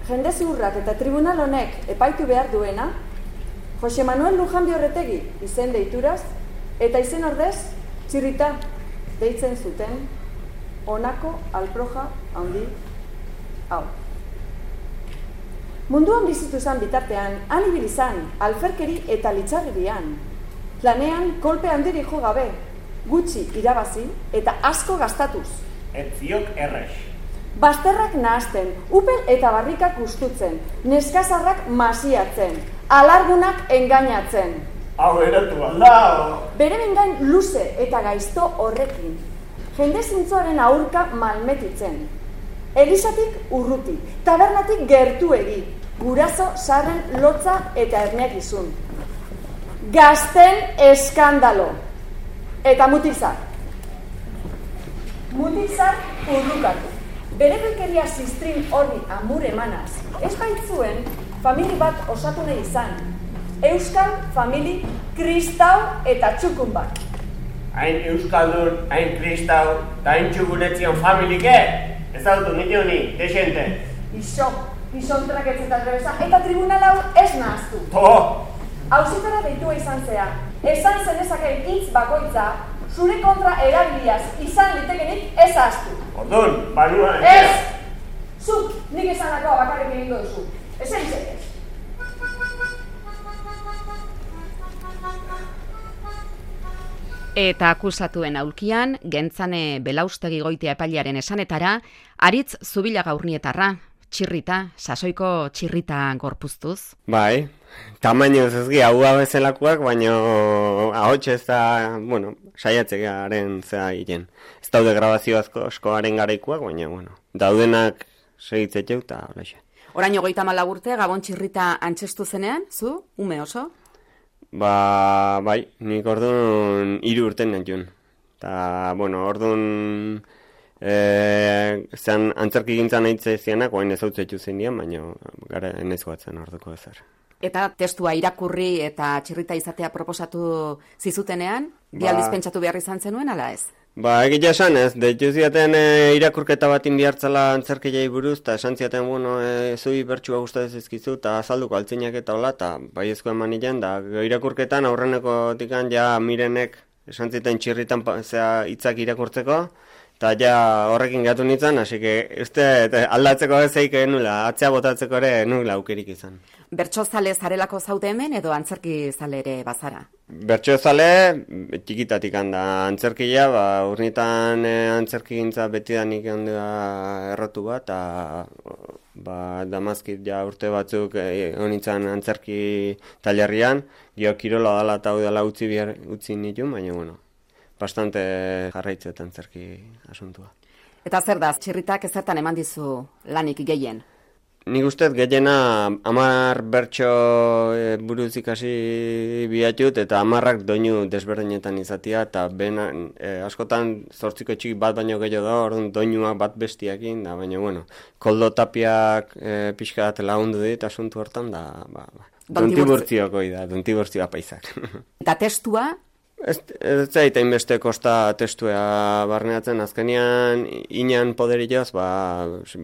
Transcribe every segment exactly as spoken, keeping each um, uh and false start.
jende ziurrak eta tribunal honek epaitu behar duena, Jose Manuel Lujanbi Orretegi izen deituraz, eta izen ordez, Txirrita deitzen zuten, honako alproja handi hau. Munduan bizitu zan bitartean, han ibili zan, alferkeri eta litxarrerian. Lanean kolpe handiri jo gabe, gutxi irabazi eta asko gastatuz. Etziok errex. Bazterrak nahasten, upel eta barrikak ustutzen, neskazarrak masiatzen, alargunak engainatzen. Hau eratu alda! Bere bengain luze eta gaizto horrekin, jende zintzoaren aurka malmetitzen. Elisatik urruti, tabernatik gertuegi, guraso sarren lotza eta erneakizun. Gazten eskandalo. Eta mutilzar. Mutilzar urrukatu. Bere belkeria ziztrin horri amur emanaz, ez baitzuen famili bat osatu nahi izan. Euskal famili kristau eta txukun bat. Hain euskaldun, hain kristau, eta hain txukunetzion familike? Ez autu, nio ni, desente. Iso, isontrak ez eta trebeza, eta tribunal hau ez nahaztu. To! Hauzitara deitua izan zea, esan zenezakeen hitz bakoitza, zure kontra erabiliaz izan litekenik ez ahaztu. Ordun, banua... Ez! Zuk, nik esanakoa bakarrik egingo duzu. Ez egizek ez. Eta akusatuen aulkian, Gentzane Belaustegi Goitia epailearen esanetara, Aritz Zubilaga Urnietarra, Txirrita, sasoiko Txirrita gorpuztuz. Bai, tamaino ezgi hau bezalakoak, baina ahots ez da, bueno, saiatzearen zea egiten. Ez daude grabazio askoaren garaikoak, baina, bueno, daudenak segitzeteu eta holaxe. Orain hogeita hamalau urte, Gabon Txirrita antzestu zenean, zu, ume oso? Ba, bai, nik orduan hiru urten nantxun. Eta, bueno, orduan e, zean antzerki gintzan nahitze zianak, oain ez hau zetxu zen dian, baina gara enez goatzen orduko ezer. Eta testua irakurri eta Txirrita izatea proposatu zizutenean, ba, bialdiz pentsatu behar izan zenuen, ala ez? Ba, egitea esan ez, deitu ziaten e, irakurketa bat inbihartzala antzerkilei buruz, eta esan ziaten, bueno, e, zui bertxua gustatzen zizkizu, eta azalduko altzinak eta hola, eta baiezko eman nilan, da irakurketan aurreneko tikan ja Mirenek esan ziten Txirritan zea hitzak irakurtzeko, eta ja horrekin gatu nintzen, hasi que uste aldatzeko ezeik nula, atzea botatzeko ere nula aukerik izan. Bertso zale zarelako zaude hemen edo antzerki zale ere bazara? Bertso zale, txikitatik handa antzerkia, ba, urnitan e, antzerki gintza betidanik handea errotu bat, eta ba, damazkit ja urte batzuk e, honitzen antzerki talerrian, gio kirola dala eta hau dela utzi, bihar, utzi nituen, baina, bueno, bastante jarraitzetan antzerki asuntua. Eta zer da, Txirritak ezertan eman dizu lanik gehien? Nik ustez gehiena hamar bertso e, buruz ikasi biatut eta hamarrak doinu desberdinetan izatea eta bena, e, askotan zortziko txiki bat baino gehiago da, orduan doinuak bat bestiakin, da baina bueno, Koldo Tapiak e, pixka bat lagundu dit asuntu hortan, da ba, ba. Dontiburtziokoi da, dontiburtzioa paisak. Eta testua? Ez, ez zaita inbeste kosta testua barneatzen, azkenean inan poderioz ba,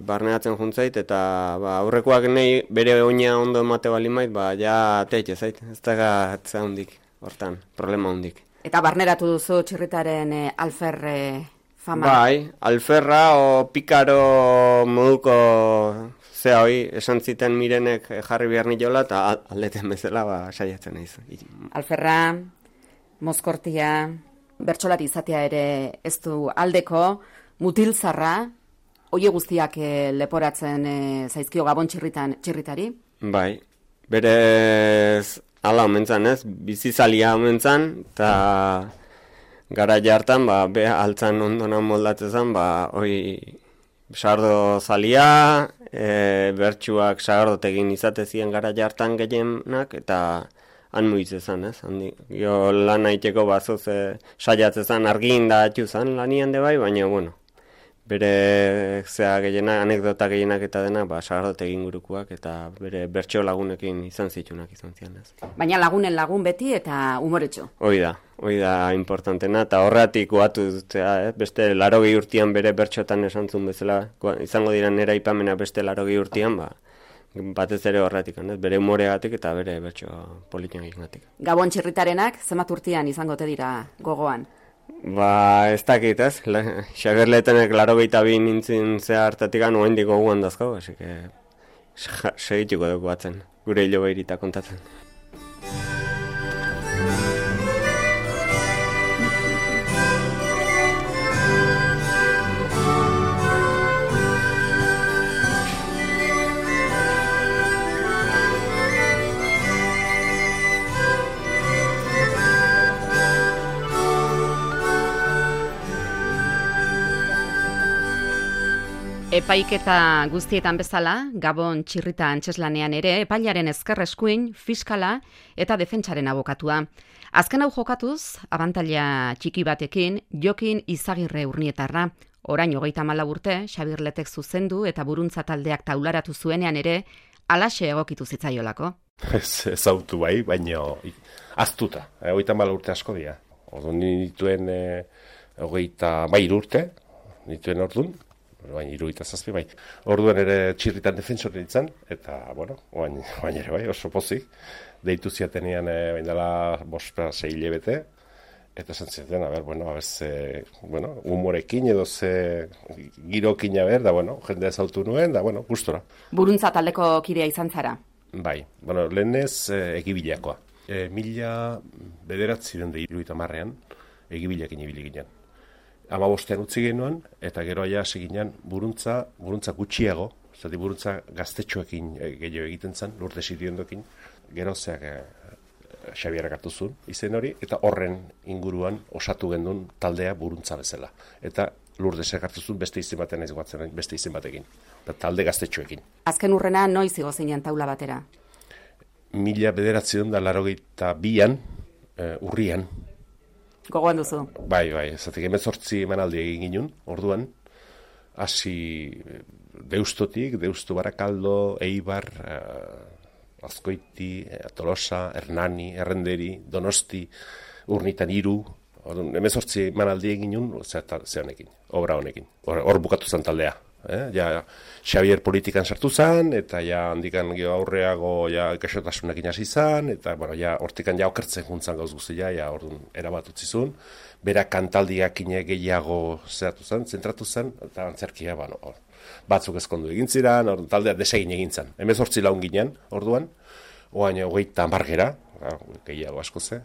barneatzen juntzait, eta ba, aurrekoak nahi bere oina ondo emate bali mait, ba, ja teitze zait, ez daga atzea hundik, hortan, problema hundik. Eta barneratu duzu Txirritaren e, alferre fama? Bai, alferra o pikaro moduko zea hoi, esan ziten Mirenek jarri behar niola, eta aldeten bezala ba, saiatzen naiz. Alferra... Mozkortia, bertsolari izatea ere ez du aldeko, mutilzarra, oie guztiak e, leporatzen e, zaizkio Gabon Txirritan Txirritari? Bai, berez ala omentzan ez, bizizalia omentzan, eta gara jartan, ba, be altzan ondona moldatzen, ba, oi, sardo zalia, e, bertsuak sardotegin izatezien gara jartan gehienak, eta han muiz ezan, ez? Handi, jo lan haiteko bazoz e, saiatzezan argin da atxuzan lanian de bai, baina, bueno, bere zea gehienak, anekdota gehienak eta dena, ba, sagardote egin gurukuak eta bere bertso lagunekin izan zitunak izan zian, ez? Baina lagunen lagun beti eta umoretxo. Hoi da, hoi da importantena, eta horretik guatu dutzea, eh? Beste larogei urtian bere bertxotan esan zuen bezala, izango dira nera ipamena beste larogei urtian, ba, batez ere horretik, ez? Bere humoregatik eta bere bertso politiagatik. Gabon txirritarenak zenbat urtean izango te dira gogoan? Ba, ez dakit, ez? Xabier Letenek laro gehieta bi nintzen zea hartatik anu hendik goguan dazkau, hasi que segituko dugu batzen, gure hilo behirita kontatzen. Epaiketa guztietan bezala, Gabon txirrita antzeslanean ere, epailaren ezker eskuin, fiskala eta defentsaren abokatua. Azken hau jokatuz, abantaila txiki batekin, Jokin Izagirre Urnietarra. Orain hogeita hamalau urte, Xabier Letek zuzendu eta buruntza taldeak taularatu zuenean ere, halaxe egokitu zitzaiolako. Ez ezautu bai, baina aztuta, hogeita hamalau urte asko dira. Orduan nituen hogeita hamairu urte, nituen orduan, baina hirurogeita zazpi bai. Orduan ere txirritan defensore nintzen, eta, bueno, baina, baina ere bai, oso pozik. Deitu ziatenean, e, baina dela bospera sei hilabete, eta esan ziaten, a ber, bueno, a ber, ze, bueno, humorekin edo ze girokin, a ber, da, bueno, jende ezautu nuen, da, bueno, gustora. Buruntza taldeko kidea izan zara? Bai, bueno, lehenez e, egibilakoa. E, mila bederatzi den da hirurogeita hamarrean, egibilakin ibili ginen. Hamabostean utzi genuen, eta gero aia seginean buruntza, buruntza gutxiago, zati buruntza gaztetxoekin gehiago egiten zen, Lurde Siriondokin, gero zeak e, Xabierak hartu zuen izen hori, eta horren inguruan osatu gendun taldea buruntza bezala. Eta Lurdesek hartu zuen beste izen batean ez guatzen, beste izen batekin, talde gaztetxoekin. Azken urrena noiz igo zinen taula batera? Mila bederatzi da larogeita bian, e, urrian, Gogoan duzu? Bai, bai, zatik emezortzi emanaldi egin ginen, orduan, hasi Deustotik, Deustu Barakaldo, Eibar, uh, Azkoiti, Tolosa, Hernani, Errenderi, Donosti, Urnitan hiru, orduan, emezortzi emanaldi egin ginen, zeanekin, obra honekin, hor bukatu zen taldea. Eh? Ja, Xabier politikan sartu zen, eta ja handikan geho aurreago ja ikaxotasunekin hasi zen, eta bueno, ja hortikan ja okertzen juntzan gauz guztia, ja orduan erabat utzi zuen, berak kantaldiak gehiago zehatu zen, zentratu zen, eta antzerkia, bueno, or, batzuk ezkondu egin ziren, orduan taldea desegin egin zen. Hemezortzi laun ginen, orduan, oain hogeita margera, gehiago asko ze,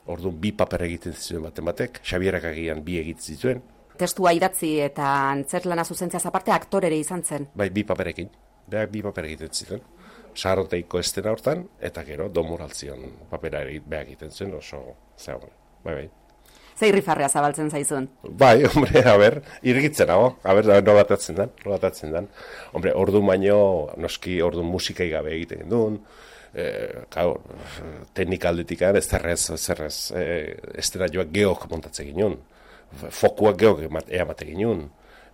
orduan bi paper egiten zituen baten batek, Xabierak agian bi egiten zituen, testua idatzi eta antzerlana zuzentziaz aparte aktorere izan zen. Bai, bi paperekin. Beak bi paper egiten ziren. Sagarroteiko estena hortan, eta gero Don Moraltzion papera beak egiten zen, oso, zera, bai, bai. Ze irrifarrea zabaltzen zaizun? Bai, hombre, a ber, irgitzen hago, a ber, nolatatzen den, nolatatzen den. Hombre, ordu baino, noski ordu musikai gabe egiten duen, eh, gaur, teknikaldetikan ez zerrez, ez zerrez, eh, estena joak geok montatzen ginen. Fokuak geok eamate ginen,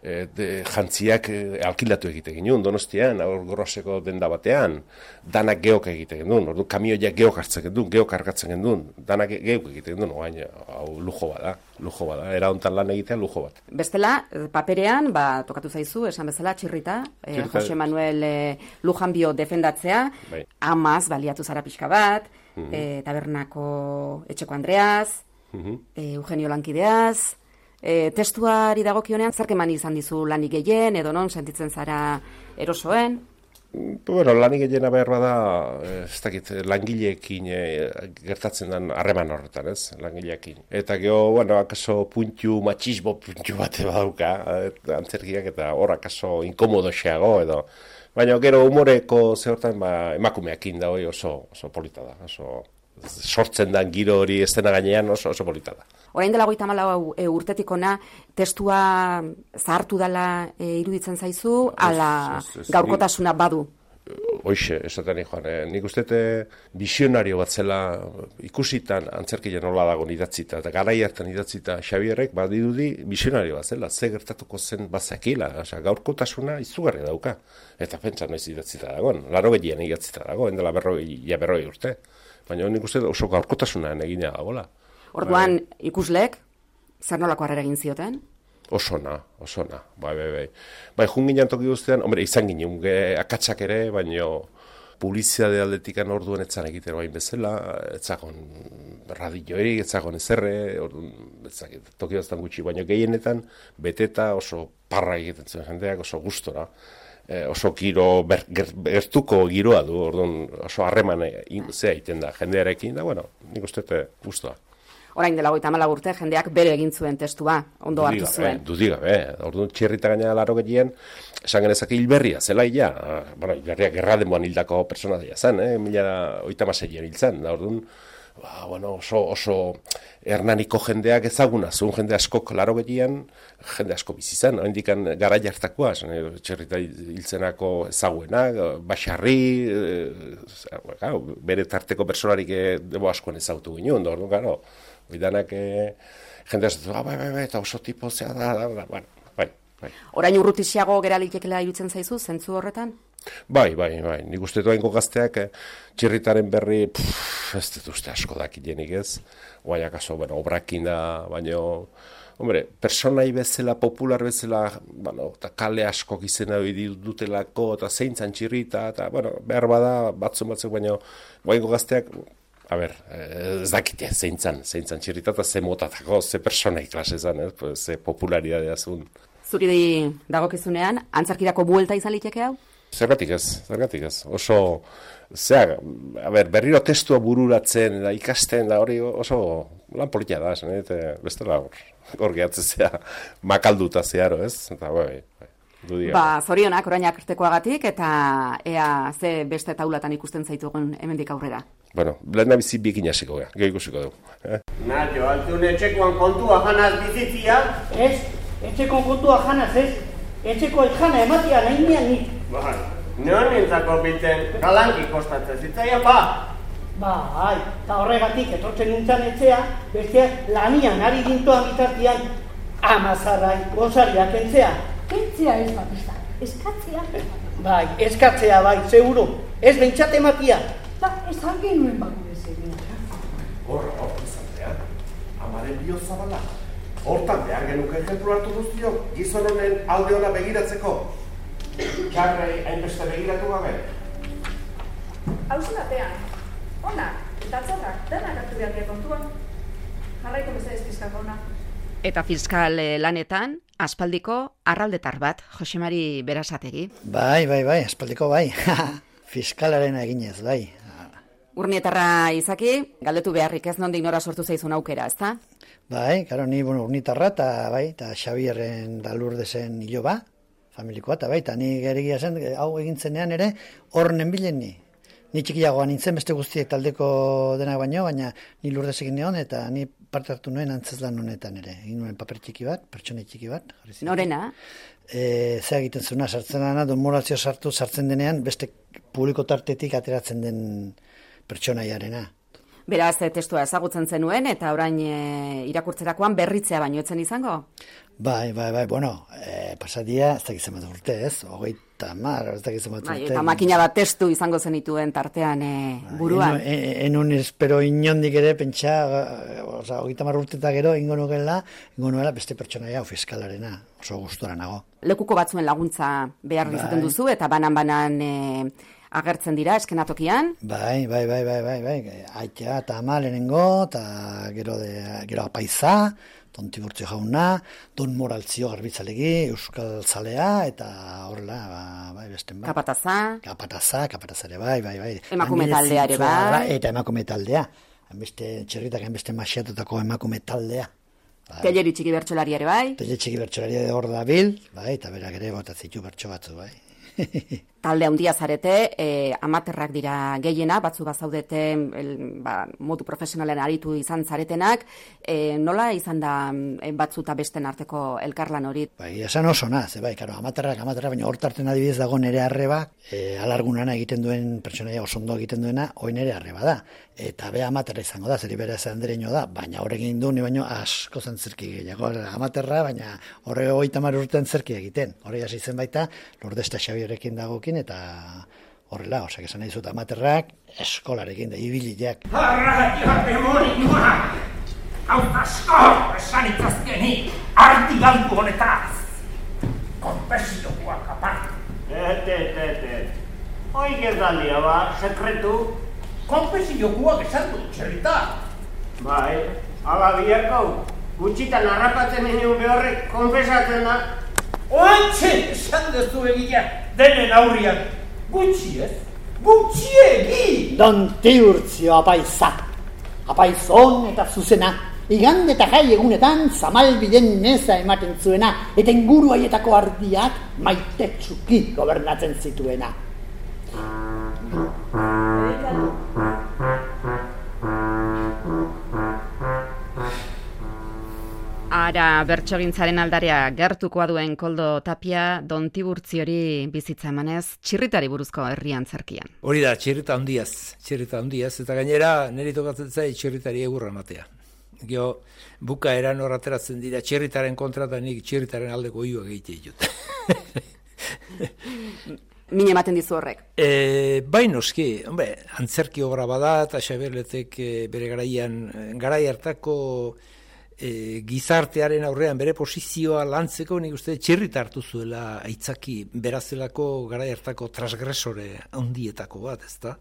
e, jantziak e, alkilatu egite ginen, Donostian, hor Goroseko denda batean, danak geok egite ginen, ordu kamioiak geok hartzen ginen, geok argatzen ginen, danak geok egite ginen, oain, hau lujo bada, lujo bada, era hontan lan egitea lujo bat. Bestela, paperean, ba, tokatu zaizu, esan bezala, txirrita, e, Jose Manuel e, Lujanbio defendatzea, bai. Amaz, baliatu zara pixka bat, mm-hmm. e, tabernako etxeko Andreaz, mm-hmm. e, Eugenio Lankideaz, E, testuari dagokionean, zerk eman izan dizu lanik gehien, edo non, sentitzen zara erosoen? Bueno, lanik gehiena behar bada, ez dakit, langileekin e, gertatzen den harreman horretan, ez, langileekin. Eta geho, bueno, akaso puntu, matxismo puntu bate badauka, antzerkiak, eta hor akaso inkomodoxeago, edo. Baina gero humoreko zehortan, ba, emakumeakin da hori oso, oso polita da, oso sortzen den giro hori estena gainean oso, oso polita da. Orain dela hogeita hamalau e, urtetik ona, testua zahartu dela e, iruditzen zaizu, ala gaurkotasuna badu? Hoixe, esaten joan, eh? Nik uste visionario bat zela ikusitan antzerkia nola dago idatzita, eta garai hartan idatzita Xabierrek badirudi visionario bat zela, ze gertatuko zen bazakila, osea, gaurkotasuna izugarria dauka, eta pentsa noiz idatzita dagoen, laro gehien idatzita dagoen, dela berroi, ja berroi urte, baina nik uste oso gaurkotasuna egina dagoela. Orduan, ikusleek, zer nolako harrera egin zioten? Oso na, oso na, bai, bai, bai. Bai, jun ginen toki guztian, hombre, izan ginen, ge, akatsak ere, baino publizitate aldetikan orduan etzan egiten bain bezala, etzakon radioerik, etzakon ezerre, orduan, etzakit, toki baztan gutxi, baino gehienetan, beteta oso parra egiten zuen jendeak, oso gustora, e, oso giro, ber, ger, gertuko giroa du, orduan, oso harreman zea egiten da, jendearekin, da, bueno, nik uste gustua. Orain dela hogeita hamalau urte jendeak bere egin zuen testua, ondo hartu zuen. Dudigabe, orduan txirrita gaina laro getien, esan genezak hilberria, zela ia, bueno, hilberria gerra denboan hildako personaia zen, eh? Mila oita maseian hil zen, da orduan, ba, bueno, oso, oso hernaniko jendeak ezaguna, zuen jende askok laro getien, jende asko bizi zen, hendikan gara jartakoa, txirrita hiltzenako ezaguenak, Baxarri, e, bere tarteko personarik debo askoan ezagutu ginen, da orduan, garo, Bidanak eh, jende ez dut, ah, bai, bai, bai, eta oso tipo zea da, da, da, bueno, bai, bai. Orain urrutixiago gera litekela irutzen zaizu, zentzu horretan? Bai, bai, bai, nik uste duainko gazteak eh, txirritaren berri, pff, ez dut uste asko dakilenik ez, guai akaso, bueno, obrakin da, baino, hombre, personai bezala, popular bezala, bueno, eta kale asko izena dutelako, eta zeintzan txirrita, eta, bueno, behar bada, batzun batzuk, baino, guainko gazteak, a ber, ez dakite, zeintzan, zeintzan txirrita, eta ze motatako, ze personai klase zan, eh? Ze popularidadea zuen. Zuri dagokizunean, antzarkirako buelta izan liteke hau? Zergatik ez, zergatik ez. Oso, zea, a ber, berriro testua bururatzen, da ikasten, da hori oso lan politia da, zen, eta bestela hor, hor gehatzea makalduta zeharo, ez? Eta, bai, bai. Ba, zorionak orainak artekoagatik, eta ea ze beste taulatan ikusten zaitugun hemendik aurrera. Bueno, lehen bizi bikin hasiko gara, gehi ikusiko dugu. Eh? Nacho, altun etxekoan kontua janaz bizitzia? Ez, etxeko kontua janaz ez, etxeko jana ematia nahi nian nik. Bai, non nintzako biltzen galanki kostatzen zitzaia, ba? Bai, eta horregatik etortzen nintzen etxea, besteak lanian ari gintoan bitartian amazarrai gozariak entzea. Kentzea ez batista, eskatzea. Bai, eskatzea bai, seguro, ez bentsat ematia. Ba, esan genuen bako bezegin. Horra, hor, izantea, amaren bio zabala. Hortan behar genuke ejemplu hartu guztio, gizon honen alde ona begiratzeko. Txarrei hainbeste begiratu gabe. Hauzen batean, ona, eta txarrak, denak hartu behar dira kontuan. Jarraiko bezala fiskal ona. Eta fiskal lanetan, aspaldiko arraldetar bat, Josemari Berasategi. Bai, bai, bai, aspaldiko bai. Fiskalaren eginez, bai. Urnietarra izaki, galdetu beharrik ez nondik nora sortu zaizun aukera, ezta? Bai, karo, ni bueno, urnitarra eta bai, eta Xabierren da Lurdesen iloba, familikoa, eta bai, eta ni geregia zen, hau egintzenean ere, horren bilen ni. Ni txikiagoan nintzen, beste guztiek taldeko denak baino, baina ni Lurdes egin neon, eta ni parte hartu nuen antzeslan honetan ere. Egin nuen paper txiki bat, pertsone txiki bat. Norena? E, Zea egiten zuna, sartzen dena, don morazio sartu, sartzen denean, beste publiko tartetik ateratzen den pertsonaiarena. Beraz, testua ezagutzen zenuen, eta orain e, irakurtzerakoan berritzea baino etzen izango? Bai, bai, bai, bueno, e, pasadia, ez dakitzen bat urte, ez? Hogeita mar, ez dakitzen bat urte. Bai, eta makina bat testu izango zenituen tartean e, buruan. Bai, en, enun espero inondik ere, pentsa, oza, hogeita mar urte eta gero, ingo nukela, ingo nuela beste pertsonaia hau fiskalarena, oso gustora nago. Lekuko batzuen laguntza behar bai. Izaten duzu, eta banan-banan e, agertzen dira eskenatokian? Bai, bai, bai, bai, bai, bai, aitea eta ama lehenengo, eta gero, de, gero apaiza, Don Tiburtzio jauna, Don Moraltzio garbitzalegi, Euskal Zalea, eta horrela, ba, bai, besten ba. Kapataza? Kapataza, kapataza ere, bai, bai, bai. Emakume taldea ere, bai. Eta emakume taldea. Beste txerritak, beste masiatutako emakume taldea. Bai. Teleri txiki bertsolari ere, bai. Teleri txiki bertsolari ere hor da bil, bai, eta berak ere botatzitu bertso batzu, bai. Talde handia zarete, e, amaterrak dira gehiena, batzu bazaudete el, ba, modu profesionalen aritu izan zaretenak, e, nola izan da e, batzu eta besten arteko elkarlan hori? Bai, esan oso naz, bai, karo, amaterrak, amaterrak, baina hortarten adibidez dago nere arreba, e, alargunana egiten duen pertsonaia osondo egiten duena, hoi nere arreba da. Eta be amaterra izango da, zeri bere zandereño da, baina horrekin du, ni baino asko zen zerki gehiago, amaterra, baina horre hogeita hamar urtean zerki egiten. Horre hasi zen baita, Lourdes eta Xabierrekin dagokin, eta horrela, osak esan nahi zut amaterrak, eskolarekin da, ibiliak. Horra, joa, demonikoa! Hau asko, esan itzazkenik! arti galdu honetaz. Konpesioak apart. Et, et, et, et. Hoi gerdalia ba, sekretu. Konpesioak esan du, txerrita. Bai, ala biharko. Gutxitan harrapatzen nien behorrek konfesatzen da. Oantxe, esan dezu egila, denen aurrian. Gutxi ez? Gutxiegi! Don Tiburtzio apaiza. Apaizon eta zuzena. Igande eta jai egunetan zamalbiden neza ematen zuena eta inguru haietako ardiak maitetsuki gobernatzen zituena. Ara, bertsogintzaren aldarea gertukoa duen Koldo Tapia, Don Tiburtziori bizitza emanez, txirritari buruzko herri antzerkian. Hori da, txirrita handiaz, txirrita handiaz, eta gainera niri tokatzen zai txirritari egurra ematea. Gio, buka eran horrateratzen dira txirritaren kontra eta nik txirritaren aldeko oioak egite ditut. Min ematen dizu horrek? E, bai noski, hombre, antzerki obra bada eta Xaberletek e, bere garaian, garai hartako E, gizartearen aurrean bere posizioa lantzeko nik uste txirrita hartu zuela aitzaki berazelako garai hartako transgresore handietako bat, ezta?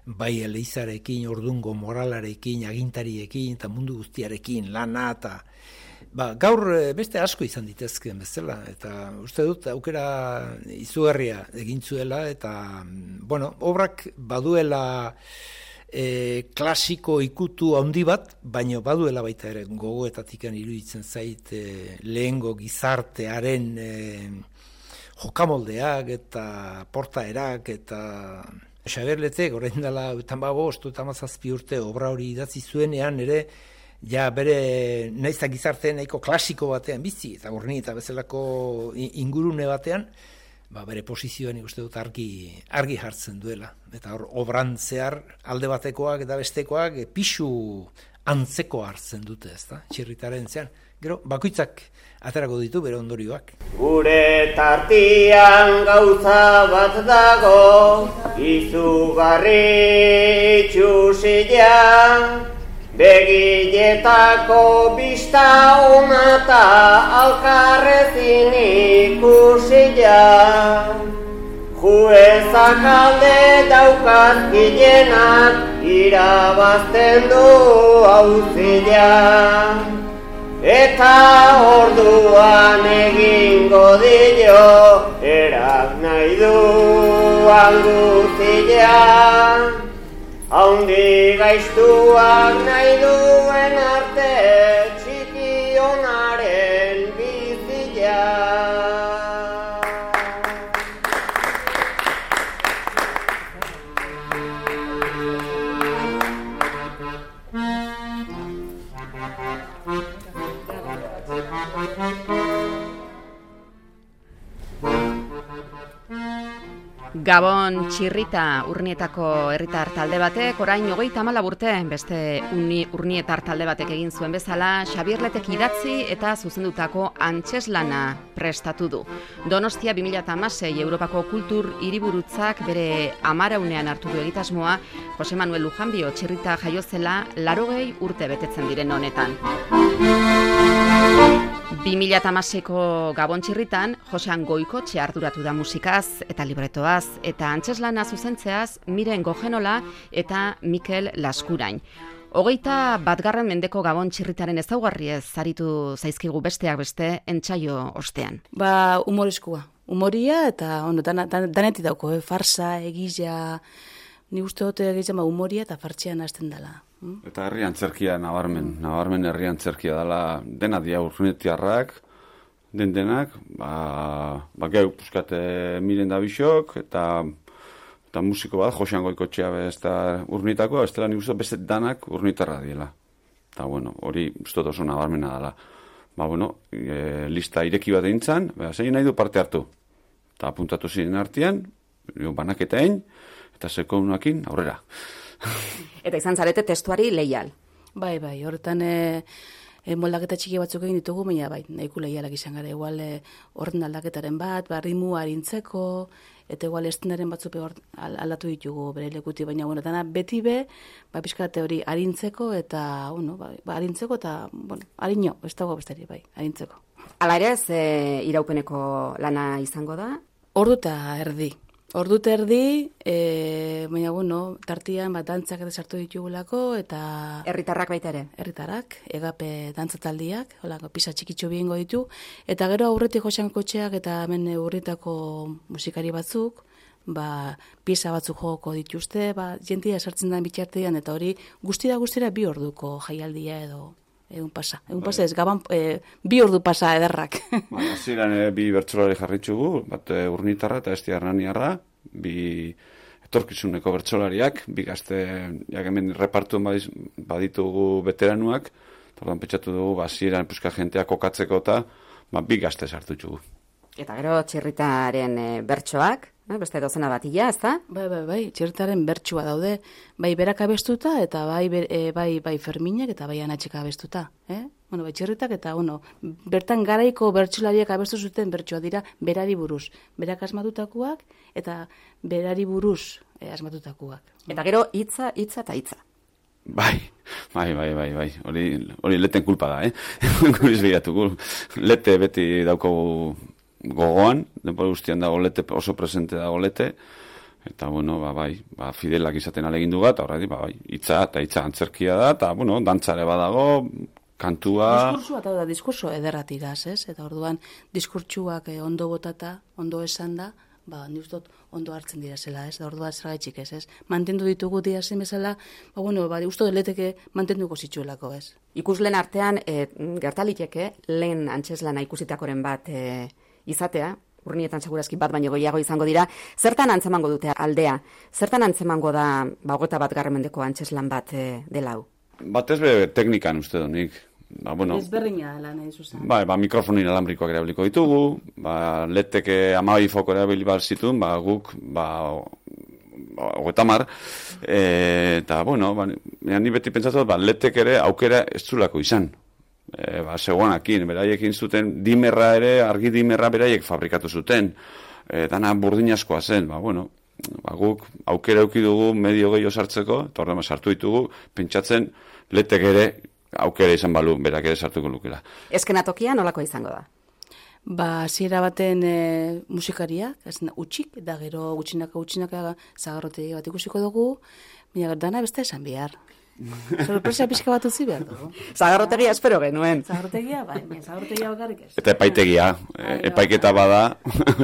Bai eleizarekin, ordungo moralarekin, agintariekin eta mundu guztiarekin lana eta ba, gaur beste asko izan ditezken bezala eta uste dut aukera izugarria egin zuela eta bueno, obrak baduela E, klasiko ikutu handi bat, baina baduela baita ere gogoetatikan iruditzen zait e, lehengo gizartearen e, jokamoldeak eta portaerak eta Xaberletek orain dela bost eta hamazazpi urte obra hori idatzi zuenean ere ja bere naizta gizarte nahiko klasiko batean bizi eta Urni eta bezalako ingurune batean ba, bere posizioan ikuste dut argi, argi jartzen duela. Eta hor, obran zehar alde batekoak eta bestekoak e, pixu antzeko hartzen dute, ezta? Txirritaren zean. Gero, bakoitzak aterako ditu bere ondorioak. Gure tartian gauza bat dago, izugarri txusian, begiletako bista ona eta alkarrezin ikusia. Juezak alde daukaz gilenak irabazten du auzia. Eta orduan egingo dio erak nahi duan guztia. Haundi gaiztuak nahi duen arte txiki onaren bizia. Gabon txirrita Urnietako herritar talde batek, orain hogeita hamalau urte beste uni, Urnietar talde batek egin zuen bezala, Xabierletek idatzi eta zuzendutako antzeslana prestatu du. Donostia bi mila hamasei Europako kultur hiriburutzak bere amaraunean hartu du egitasmoa, Jose Manuel Lujanbio txirrita jaiozela larogei urte betetzen diren honetan. bi mila hamaseiko Gabon txirritan, Josean Goikotxe arduratu da musikaz eta libretoaz, eta antzeslana zuzentzeaz Miren Gogenola eta Mikel Laskurain. Hogeita batgarren mendeko Gabon txirritaren ezaugarriez zaritu zaizkigu besteak beste entsaio ostean. Ba, humoreskua. Humoria eta ono, dan, dan, danetik dauko, eh? Farsa, egizia, ni uste dut egizia ba, humoria eta fartxean hasten dela. Hmm? Eta herri antzerkia nabarmen, nabarmen herri antzerkia dela dena dia Urnietiarrak, den denak, ba, ba geu puskate Miren da bisok, eta eta musiko bat, Josean Goikotxea ez da Urnietako, ez dela nik uste beste danak Urnietarra diela. Eta bueno, hori uste oso nabarmena dela. Ba bueno, e, lista ireki bat eintzan, ba, zein nahi du parte hartu. Eta apuntatu ziren artean, banaketa egin, eta sekounakin aurrera. Eta izan zarete testuari leial. Bai, bai, horretan e, e, moldaketa txiki batzuk egin ditugu, baina bai, nahiko lehialak izan gara, igual e, orden aldaketaren bat, ba, rimu harintzeko, eta igual estenaren batzuk aldatu ditugu bere lekuti, baina, bueno, dana beti be, ba, pixkate hori harintzeko, eta, bueno, ba, ba harintzeko, eta, bueno, harino, ez dago bestari, bai, harintzeko. Hala ere, ze iraupeneko lana izango da? Ordu eta erdi. Ordu eta erdi, e, baina, bueno, tartian bat dantzak eta sartu ditugulako, eta... Herritarrak baita ere? Herritarrak, egape dantzataldiak, holako pisa txikitxo bihingo ditu, eta gero aurretik joxan kotxeak eta hemen urritako musikari batzuk, ba, pieza batzuk joko dituzte, ba, jentia sartzen da bitxartean, eta hori guztira guztira bi orduko jaialdia edo... Egun pasa, egun pasa ez, gaban, e, bi ordu pasa ederrak. Ba, ziren e, bi bertsolari jarritxugu, bat e, Urnitarra eta Esti Hernaniarra, bi etorkizuneko bertsolariak, bi gazte, jak hemen repartuen baditugu veteranuak, eta orduan pentsatu dugu, ba, ziren puska jentea kokatzeko eta ba, bi gazte sartutxugu. Eta gero txirritaren e, bertsoak, eh, beste dozena batila, ez da? Bai, bai, bai, txirritaren bertsua daude, bai berak abestuta, eta bai, e, bai, bai Ferminak, eta bai Anatxik abestuta, eh? Bueno, bai txirritak, eta, bueno, bertan garaiko bertsolariak abestu zuten bertsua dira berari buruz. Berak asmatutakoak, eta berari buruz eh, asmatutakoak. Eta gero hitza, hitza eta hitza. Bai, bai, bai, bai, bai, hori, hori leten kulpa da, eh? Guriz behiratu, lete beti daukagu gogoan, denbora guztian dago lete, oso presente dago lete, eta, bueno, ba, bai, ba, fidelak izaten alegindu bat, horreti, ba, bai, hitza eta hitza antzerkia da, eta, bueno, dantzare badago, kantua... Diskurtsua eta da, diskurso ederratigaz, ez? Eta orduan, diskurtsuak eh, ondo botata, ondo esan da, ba, ni uste dut ondo hartzen dira zela, ez? Da orduan zergaitxik ez, ez? Mantendu ditugu dira zen bezala, ba, bueno, ba, uste dut leteke mantenduko zitsuelako, ez? Ikuslen artean, e, gertaliteke, lehen antxeslana ikusitakoren bat e, izatea, urnietan segurazki bat baino gehiago izango dira, zertan antzemango dute aldea? Zertan antzemango da, ba, hogeta bat garramendeko antxeslan bat e, dela hau? Batez be teknikan uste donik. Ba, bueno, ezberdina lan nahi zuzen. Ba, ba, mikrofonin alambrikoak erabiliko ditugu, ba, leteke amabi foko erabili bat zituen, ba, guk, ba, hogetamar, e, eta, bueno, ba, ni beti pentsatu, ba, letek ere aukera ez zulako izan. E, ba, seguanakin, beraiekin zuten, dimerra ere, argi dimerra beraiek fabrikatu zuten, e, dana burdin askoa zen, ba, bueno, ba, guk aukera euki dugu medio gehiago sartzeko, eta horrema sartu ditugu, pentsatzen letek ere aukera izan balu, berak ere sartuko lukela. Eskenatokia nolako izango da? Ba, ziera baten e, musikariak, ez utxik, da gero gutxinaka gutxinaka zagarrotegi bat ikusiko dugu, baina dana beste esan behar. Sorpresa pixka bat utzi behar dugu. Zagarrotegia espero genuen. Zagarrotegia, bai, zagarrotegia bakarrik ez. Eta epaitegia, e, epaiketa bada,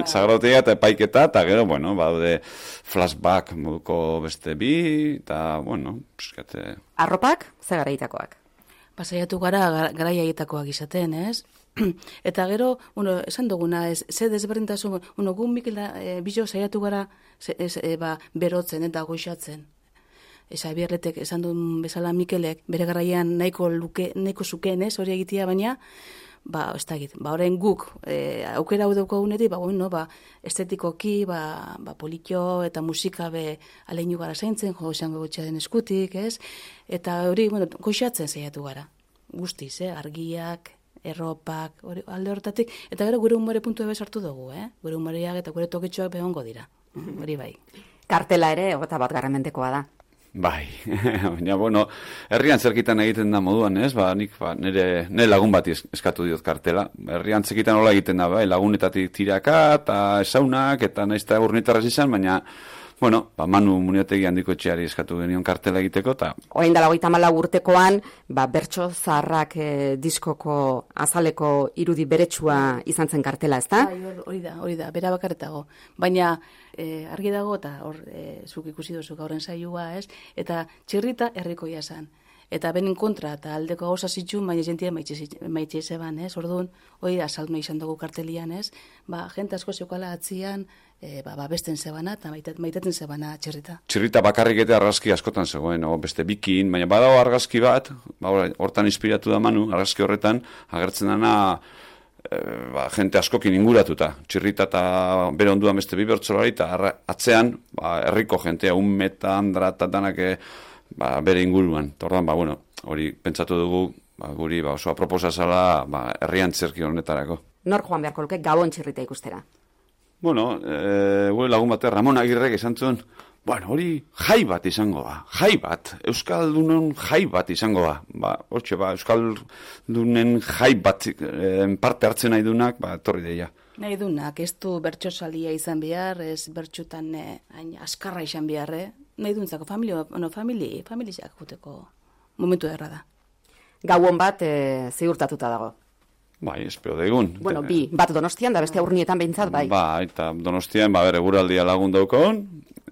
zagarrotegia eta epaiketa, eta gero, bueno, badaude flashback moduko beste bi, eta, bueno, puskate... Arropak, ze garaitakoak? Pasaiatu gara garaiaitakoak izaten, ez? Eta gero, bueno, esan duguna, ez, ze desberdintasun, bueno, gu Mikel da, e, bizo saiatu gara ze, ez, e, ba, berotzen eta goixatzen. Eza bierletek esan duen bezala Mikelek, bere garaian nahiko luke, nahiko zuken, ez, hori egitea, baina, ba, ez da egit, ba, horrein guk, e, aukera hau daukagunetik, ba, bueno, ba, estetikoki, ba, ba, politxo eta musika be aleinu gara zaintzen, jo, esango gotxearen eskutik, ez, eta hori, bueno, goixatzen saiatu gara, guztiz, eh, argiak, erropak, hori, alde hortatik, eta gero gure humore puntu ebe sartu dugu, eh, gure humoreak eta gure toketxoak behongo dira, hori bai. Kartela ere, hogeta bat garramentekoa da. Bai, baina, bueno, herrian zerkitan egiten da moduan, ez? Ba, nik, ba, nire, nire lagun bat eskatu diot kartela. Herrian zerkitan hola egiten da, bai, lagunetatik tiraka, eta esaunak, eta naizta urnitarraz izan, baina, bueno, ba, Manu Muniotegi handiko etxeari eskatu genion kartela egiteko, eta... Orain dela hogeita hamalau urtekoan, ba, bertso zaharrak e, diskoko azaleko irudi beretsua izan zen kartela, ezta? Bai, hori da, hori da, bera bakarretago. Baina, e, argi dago, eta hor, e, zuk ikusi duzu gauren saioa, ez? Eta txirrita herrikoia zen. Eta benen kontra, eta aldeko gauza zitxun, baina jentia maitxe zeban, ez? Orduan, hori da, salme izan dugu kartelian, ez? Ba, jente asko zeukala atzian, e, ba, ba, besten zebana, eta maitaten zebana txirrita. Txirrita bakarrik eta argazki askotan zegoen, o, beste bikin, baina badago argazki bat, ba, hortan inspiratu da Manu, argazki horretan, agertzen dana, e, ba, jente askokin inguratuta. Txirrita eta bere onduan beste bi bertsolari, eta atzean, ba, herriko jentea, un meta, andra, eta danak, ba, bere inguruan. Tordan, ba, bueno, hori pentsatu dugu ba, guri ba, oso aproposa zala ba, herri antzerki honetarako. Nor joan beharko luke Gabon txirrita ikustera? Bueno, e, gure lagun bate Ramon Agirrek esan zuen, bueno, hori jai bat izango da, jai bat, Euskaldunen jai bat izango da. Ba, hortxe, ba, Euskaldunen jai bat e, parte hartzen nahi dunak, ba, torri deia. Nahi dunak, ez du bertsosalia izan behar, ez bertxutan eh, hain askarra izan behar, eh? Nahi duntzako, familia, no, famili, familiak juteko momentu erra da. Gauon bat e, ziurtatuta dago. Bai, espero daigun. Bueno, bi, bat Donostian, da beste Urnietan behintzat, bai. Ba, eta Donostian, ba, bere eguraldia lagun daukon.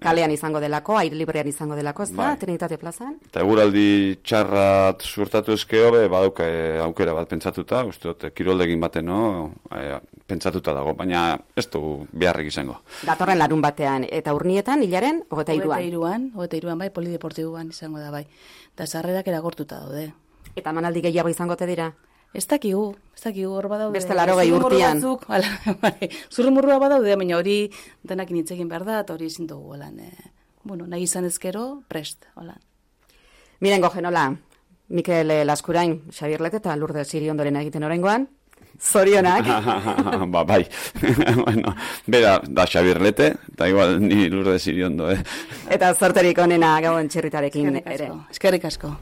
Kalean izango delako, aire librean izango delako, ez da, bai. Trinitate plazan. Eta eguraldi txarrat suertatu ezkeo, be, badauka e, aukera bat pentsatuta, uste dut, kiroldegin baten, no, e, pentsatuta dago, baina ez du beharrik izango. Datorren larun batean, eta Urnietan, hilaren, hogeta iruan. Hogeta iruan, hogeta iruan, bai, polideportibuan izango da, bai. Da sarrerak eragortuta daude. Eta manaldi gehiago izangote dira? Ez dakigu, ez dakigu hor badaude. Beste laro gehi urtean. Zurrumurrua badaude, baina hori denak initzekin behar da, eta hori ezin dugu, holan. Eh, bueno, nahi izan ezkero, prest, holan. Miren gojenola, Mikel Laskurain, Xabier Lete eta Lourdes Iriondoren egiten orengoan, zorionak. Ba, bai. Bueno, bera, da Xabier Lete, eta igual ni Lourdes Iriondo, eh. Eta zorterik onena Gabon txirritarekin ere. Eskerrik asko.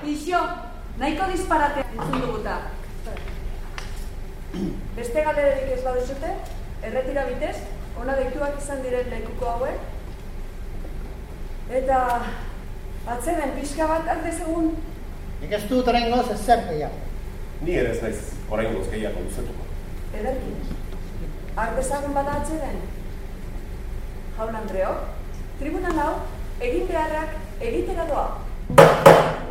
Ixo, nahiko disparate entzun duguta. Beste galererik ez baduzute, erretira bitez, ona deituak izan diren lekuko hauek. Eta atzeden pixka bat ardezegun. Nik ez dut oraingoz ezer gehiago. Ni ere ez naiz oraingoz gehiago luzetuko. Ederkin. Ardezagun bada atzeden. Jaun Andreok, tribunan hau egin beharrak egitera doa.